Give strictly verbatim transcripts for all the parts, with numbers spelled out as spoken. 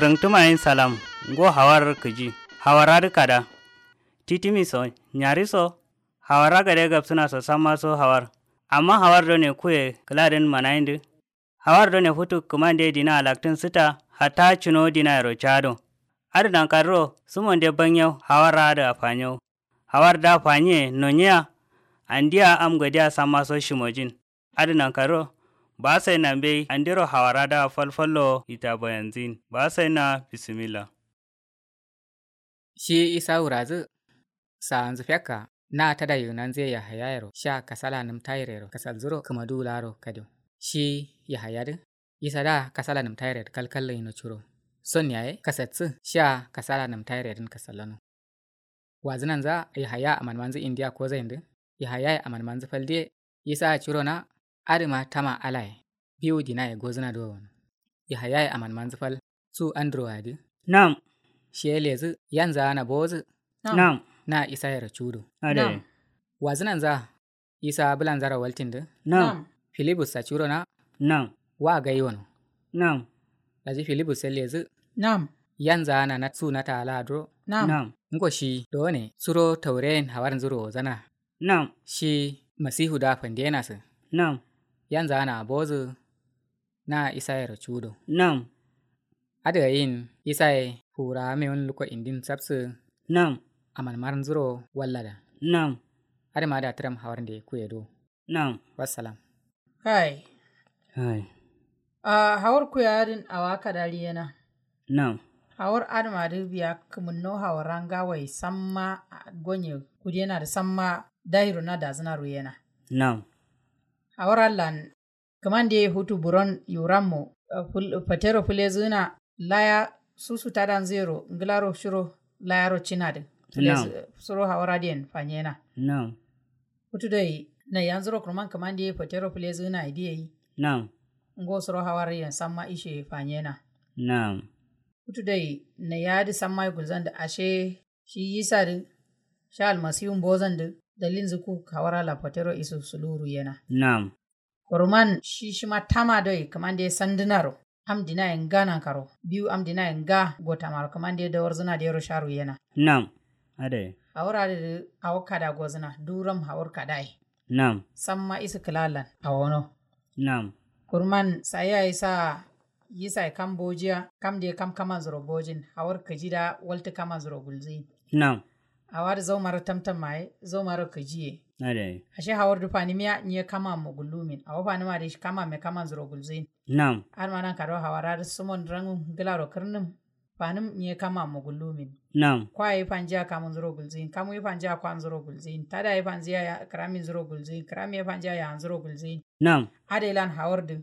Rǝngtǝma yen salam. Ngo hawar kǝji. Hawar adǝ kada. Titimi so nyari so. Hawar agade gabsǝna so samma so hawar. Amma hawar done kuye kǝladǝn manayindǝ. Hawar done futu kǝmande dina alaktǝn sǝta. Hatta cuno dinayero cado. Adǝ nankadǝro sǝmonde banyau hawar adǝ afanyo. Hawar da fanyiye nonyiya. Andiya am godiya samma so shimojin. Adǝ nankaro. Ba sai na mbei andiro hawara da falfallo ita bayanzin ba sai na. Bisimilla. Shi isa wurazǝ. Saanzǝ fekka na tada yunanzǝye yahayayero sha kasala nǝm tayirero kasalzǝro kǝmaduwu laro kadiyo. Shi yahayadǝ. Isa da kasala nǝm tayiredǝ kalkallo yino curo. Son yaye kasatsǝ sha kasala nǝm tayiredǝn kasallano. Wazǝnanza yahaya amanmanzǝ indiya kozaindǝ. Yahayaye amanmanzǝ fal diye. Isa curo na adǝma tama alaye. Biwu dinaye gozǝna do wono. Yahayaye amanmanzǝ fal su andro adǝ. Nam. Shiye lezǝ yanza ana bowozǝ. Nam. Na isa yero cudo. Adai. Wazǝnanza isa bǝlanzaro waltindǝ. Nam. Filibus sa curo na. Nam. Wa gai wono. Nam. Daji filibus ye lezǝ. Nam. Yanza ana na su nata ala aduro. Nam. Ngo shi done suro taureyen hawarinzuro wozana. Nam. Shi masihu da fandena sǝ. Nam. Yanza ana abozǝ. Na isayero cudo. Nam. Adǝ ayin isaye fura mewun luko indin sabsǝ. Nam. Amanmar nzuro wallada. Nam. Adǝ ma da tǝram hawarnde kuyedo. Nam. Wassalam. Hai. Hai. Ahh hawar kuye adǝn awa kadari yena. Nam. Hawar adǝma dǝ biya kǝmǝnno hawara ngawoye samma. Gonye kudena dǝ samma. Dahiro na dazǝna ruyena. Nam. Hawar allan. Kǝmande futu buron yurammo. Fatero fǝlezǝna laya susu tadanzǝ yero ngǝlaro shiro. Layaro cinadǝ. Suro hawar adǝyen fanyena. Nam. Futu doi naiyanzuro kǝrman kǝmande fatero fǝlezǝna ye diye yi. Nam. Ngo suro hawar yen samma ishe fanyena. Nam. Futu doi naiya adǝ samma ye gulzandǝ ashe. Shi yisadǝ. Sha almasiwu mbozandǝ. Dalilnzǝ ku hawar allan fatero isu suluwu ruyena. Nam. Koroman shi shima tama doi kǝmande sandǝnaro. Am dinaye nga nankaro biwu am dinaye nga gotamaro kǝmande dawarzǝna dero sha ruyena. Nam. Adai. Hawur adǝ dǝ. Awo kada gozǝna duram hawur kadaye. Nam. Samma isǝ kǝla allan awono. Nam. Kurman sayi yayi sa. Yisaye kam bojiya kam de kam kamanzuro bojin hawur kǝji da waltǝ kamanzuro gulzǝyin. Nam. Awo adǝ zaumaro tamtam maye zaumaro kǝjiye. Adai. Ashe hawur dǝ fanimiya nyiye kamammo gullumin awo fanima dǝ shi kamamme kamanzuro gulzǝyin. Nam. Adǝma nankaro hawara dǝ sumon rangum ngǝlaro kǝrnǝm. Fanǝm nyiye kamammo gullumin. Nam. Kwa ye fanjiya kamunzuro gulzǝyin kamu ye fanjiya kwanzuro gulzǝyin tada ye fanjiya kǝraminzuro gulzǝyin kǝram ye fanjiya yahanzuro gulzǝyin. Nam. Adai lan hawur dǝ.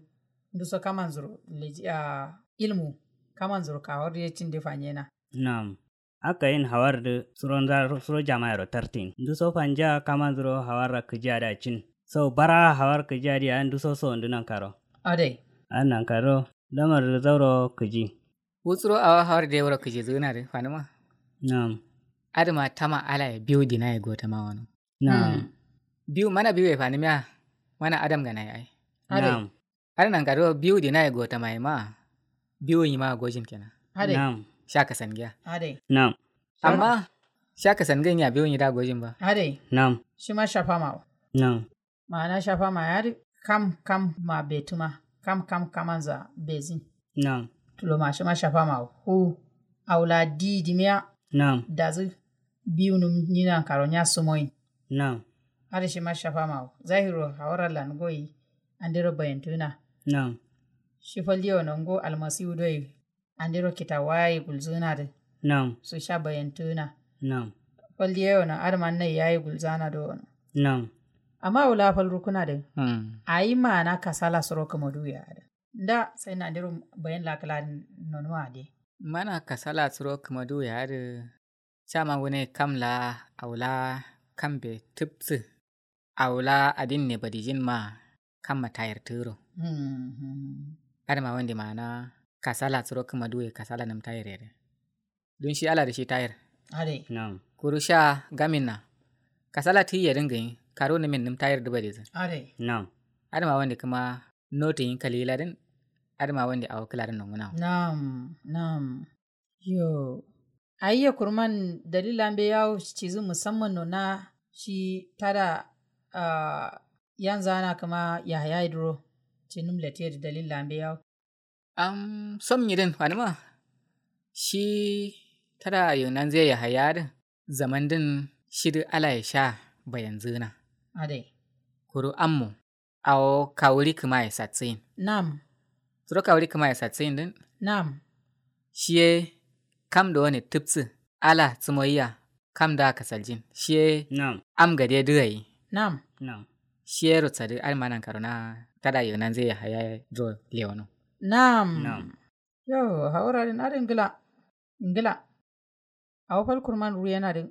Nduso kamanzuro leji ahh ilmu. Kamanzuro kawar dǝ ye cinde fanyena. Nam. Akkayin hawar dǝ suro nza suro jamayero tartin nduso fanja kamanzuro hawarra kǝjiya da cin. Sau bara hawar kǝjiya diya nduso so ndu nankaro. Adai. Adǝ nankaro. Lamar dǝ zauro kǝji. Wu suro awo hawar dǝ ye wuro kǝjizǝgǝna dǝ fanǝma. Nam. Adǝma tama alaye biwu dinaye gotama wano. Nam. Biwu mana biwuye fanǝmiya. Mana adam ganaye ai. Adǝ. Nam. Adǝ nankaro biwu dinaye gotamaye ma. Biwu nyima gojin kenan. Adǝ. Nam. Sha kasangiya. Adǝ. Nam. Amma sha kasangin ya biwu nyi da gojin ba. Adǝ. Nam. Shima shafamawo. Nam. Ma'ana shafamaye adǝ. Kam kam ma betǝma. Kam kam kamanza bezin. Nam. Tuloma shima shafamawo fu. Awo la di dimiya. Nam. Dazǝ. Biwunǝm nyi nankaro nya sumoyin. Nam. Adǝ shima shafamawo zahiro hawar allan goyi. Andero bayantǝgǝna. Nam. Shi fal diye wono ngo almasiwu doi. Andero kitawaye gulzǝgǝna dǝ. Nam. Su sha bayantǝgǝna. Nam. Fal diye wono adǝma nai yaye gulzana do wono. Nam. Amma awo la fal rukkǝna dǝ. Ayi ma'ana kasala suro kǝmaduwu ye adǝ. Nda sai nandiro bayan la kǝla nonuma adǝ. Mana kasala suro kǝmaduwu ye adǝ. Cama wune kam la awo la kambe tǝbsǝ. Awo la adin ne badijin ma. Kamma tayir tǝgǝro. Adǝma wande ma'ana kasala suro kǝmaduwu ye kasala nǝm tayir ye dǝ. Dun shi ala dǝ shi tayir. Adai. Nam. Kuru sha gamin na. Kasala tǝyi ye dǝn gǝnyi karu nǝmin nǝm tayir dǝ badizǝ. Adai. Nam. Adǝma wande kǝma notu yin kalila dǝn. Adǝma wande awo kǝladǝn nongǝnawo. Nam nam. Yo. Ayye kurman dalila mbeyi yawo cizu musamman nona shi tada yanzana kǝma yahaya iduro cinum latiye dǝ dalila mbeyi yawo. Am som nyidin fanima shi tada yunanzuye yahaya dǝ zamandin shidǝ alaye sha bayanzuna. Adai. Kuru ammo awo kawuri kǝmaye satsuyin. Nam. Suro kawuri kǝmaye satsuyin din. Nam. Shiye kam do ne tǝpsǝ ala tsumoyiya kam da kasaljin shiye. Nam. Am gade dǝ ayi. Nam. Nam. Shiye rutsa dǝ adǝma nan karo na tada yunanzuye yahaya duro lewono. Nam. Nam. Yo hawura din adin ngla ngla. Awo fal kurman ruyena dǝ.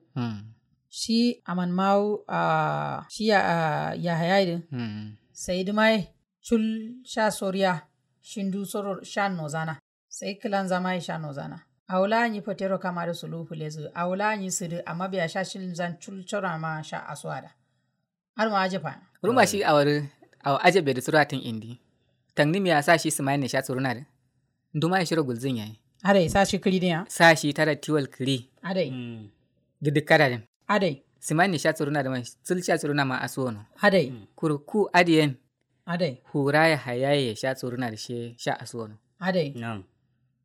Shi aman mawu shi yahaya dǝ. Sai dǝma ye cul sha soriya shindu soro sha nozana. Sai kǝlanza ma ye sha nozana. Awo la nyi fatero kama dǝ sulu fǝlezǝ awo la nyi sǝdǝ amma biya sha shilzan cul soro ma sha asuwa da. Adǝma ajab fa. Kuruma shi awo dǝ awo ajab be dǝ suro atǝn indi. Tangni miya sa shi sǝmayin ne sha suruna dǝ. Nduma ye shiro gulzin yayi. Adai sa shi kǝri diya. Sa shi tada tiwal kǝri. Adai. Dǝ dǝkkada din. Adai. Sǝmayin ne sha suruna dǝ man sul sha suruna ma asuwono. Adai. Kuru ku adiyen. Adai. Hura yahaya ye sha suruna dǝ she sha asuwono. Adai. Nam.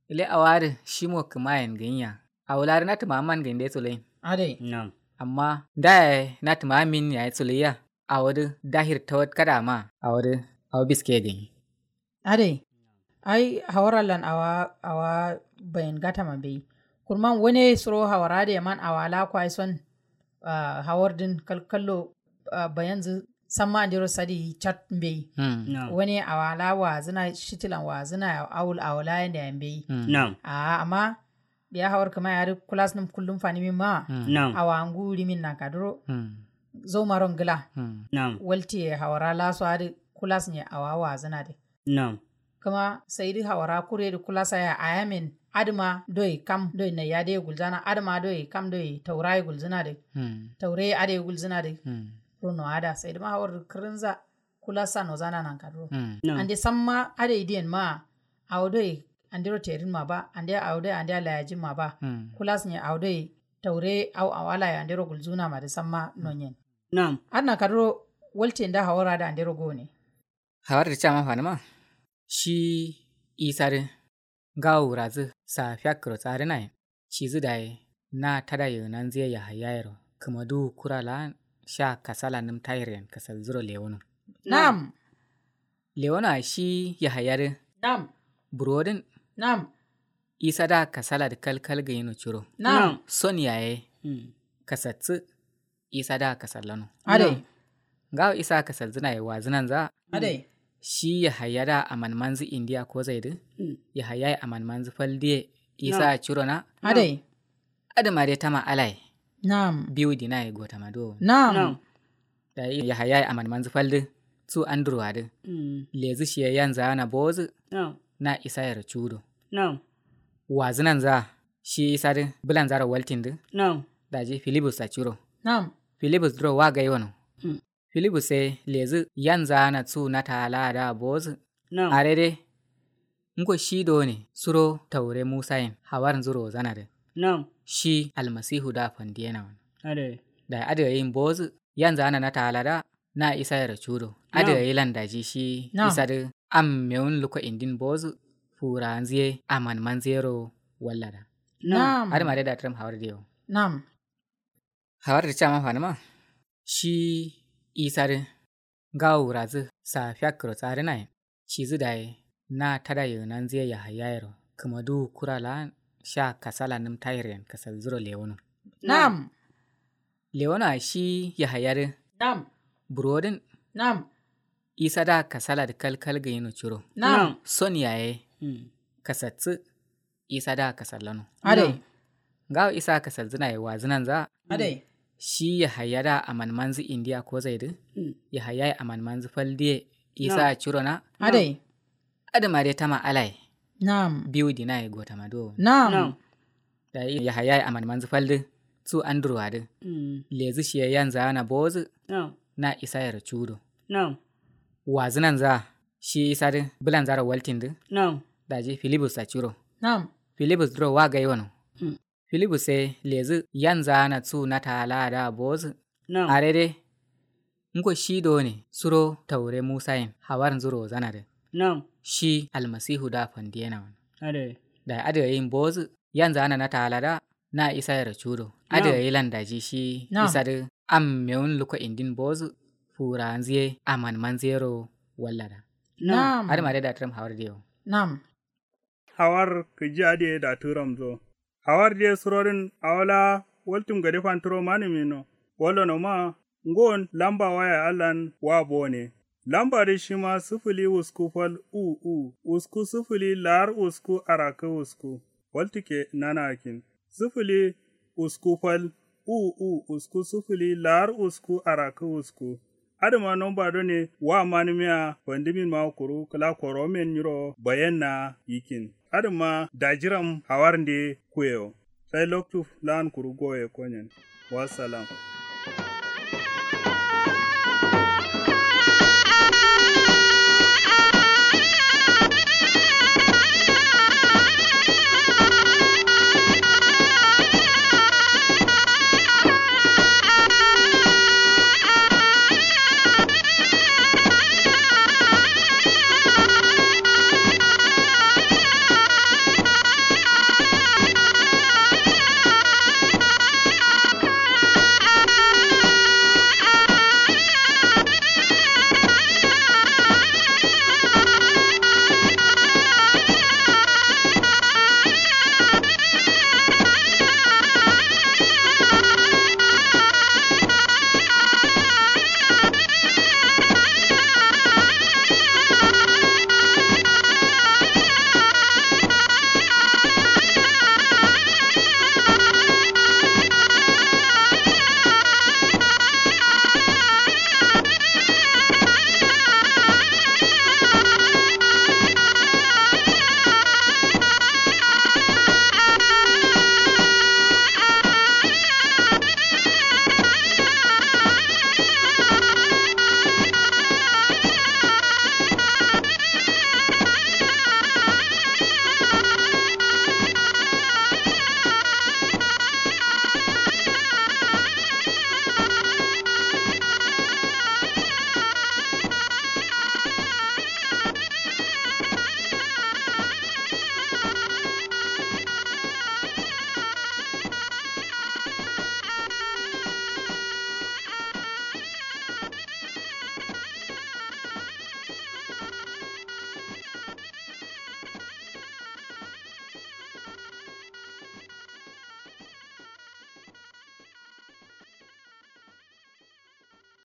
Ile awo adǝ shimo kǝmayen gǝnyiya. Awo la dǝ na tǝma amman gǝnyi de suloyin. Adai. Nam. Amma nda yaye na tǝma amin yaye suloyiya. Awo dǝ dahir tawat kada ma awo dǝ awo biske gǝnyi. Adai. Ai hawar allan awa awa bayin gata ma mbeyi. Kurman wane suro hawar adai man awa la kwai son. Hawar dǝn kalkallo bayanzǝ samma andero sadi cat mbeyi. Wane awa la wazǝna shitilan wazǝna awul awo la yande ya mbeyi. Nam. A'a amma biya hawar kǝma ya dǝ kulas nǝm kullum fanimin ma. Nam. Awa ngu rimin nan kaduro. Zau maro ngla. Nam. Waltiye hawara laso adǝ kulas nye awa wazǝna dǝ. Nam. Kǝma sai dǝ hawara kure dǝ kulasa ya ayamin adǝma doi kam doi naiya dǝ ye gulzana adǝma doi kam doi taura ye gulzǝna dǝ. Taure adǝ ye gulzǝna dǝ. Runo ada sai dǝma hawar dǝ kǝrǝnza. Kulasa nozana nan kaduro. Nam. Ande samma adai diyen ma awo doi andero terin ma ba ande awo doi ande alayajin ma ba. Kulas nye awo doi taure au awala ye andero gulzuna ma dǝ samma nonyen. Nam. Adǝ nan kaduro waltiye nda hawar adǝ andero gone. Hawar dǝ cama fanima shi isa dǝ ngawo wurazǝ sa fiyakkǝro tsadǝnayen. Cizǝ dayi na tada yǝgǝnanzǝ ye yahayayero kǝmaduwu kura la'an sha kasala nǝm tayiryen kasalzǝro lewono. Nam. Lewono a shi yahaya dǝ. Nam. Buro dǝn. Nam. Isa da kasala dǝ kalkal gǝyino curo. Nam. Son yaye kasatsǝ. Isa da kasallano. Adai. Ngawo isa kasallzǝna ye wazǝnanza. Adai. Shi yahaya da amanmanzǝ indiya kozai dǝ. Yahaya ye amanmanzǝ fal diye isa curo na. Adai. Adǝma dai tama alaye. Nam. Biwu dina ye gotama duwo. Nam. Dayi yahaya ye amanmanzǝ fal dǝ su andurwa dǝ. Lezǝ shiye yanza na bowozǝ. Na isa yero cudo. Nam. Wazǝnanza shi isa dǝ bǝlanzaro waltin dǝ. Nam. Daji filibus a curo. Nam. Filibus duro wa gaiwano. Filibus ye lezǝ yanza na su nata ala adǝ a bowozǝ. Nam. Are dai. Ngo shi done suro taure musayen hawarinzǝ rozana dǝ. Nam. Shi almasihu da fandiyena wano. Adai. Dayi adǝ gayin bowozǝ yanza na nata ala da. Na isa yero cudo adǝ gayi lan daji shi. Nam. Isa dǝ am mewun luko indin bowozǝ. Furanzǝ ye amanmanzǝ yero wallada. Nam. Adǝma dai da tǝram hawar diyo. Nam. Hawar dǝ cama fanima shi isa dǝ ngawo wurazǝ sa fiyakkǝro tsadǝnayen. Cizǝ dayi na tada yǝgǝnanzǝ ye yahayayero kǝmaduwu kura la'an sha kasala nǝm tayiryen kasalzǝro lewono. Nam. Lewono a shi yahaya dǝ. Nam. Buro dǝn. Nam. Isa da kasala dǝ kalkal gǝyino curo. Nam. Son yaye kasatsǝ. Isa da kasallano. Adai. Ngawo isa kasallzǝna ye wazǝnanza. Adai. Shi yahaya da amanmanzǝ indiya kozai dǝ. Yahaya ye amanmanzǝ fal diye isa curo na. Adai. Adǝma dai tama alaye. Nam. Biwu dina ye gotama duwo. Nam. Dayi yahaya ye amanmanzǝ fal dǝ su andurwa dǝ. Lezǝ shiye yanza na bowozǝ. Na isa yero cudo. Nam. Wazǝnanza. shi isadǝ bǝlanzaro waltindǝ. Daji filibus a curo. Filibus duro wa gai wano. Filibus ye lezǝ yanzana su nata la'ada bozǝ. Arede ngo shi done suro taure musayin hawar nzuro zanadǝ. Shi almasihu da fandiyena wano. Dayi adǝ yayin bozǝ yanzana nata la'ada na isa yero cudo. Adǝ yayi lan daji shi isadǝ am mewun luko indin bozǝ. Furanziye aman manziyero wallada. Adǝ mare da tǝram hawar diyo. Hawar kǝji adǝ ye da tǝramzo. Hawar diye surodǝn awo la waltum gade fanturo manǝmino. Wallono ma ngon lamba waya allan wa bone. Lamba dǝ shima sǝfǝli usku fal u u usku sǝfǝli lar usku arakǝ usku. Waltǝke nanakin sǝfǝli usku fal u u usku sǝfǝli lar usku arakǝ usku. Adǝma nomba done wa manǝmiya fandǝmin ma kuru kǝla koromen nyiro bayenna yikin. Adǝma dajiram hawarnde kuyewo. Sai loktu lan kuru goye konyen. Wassalam.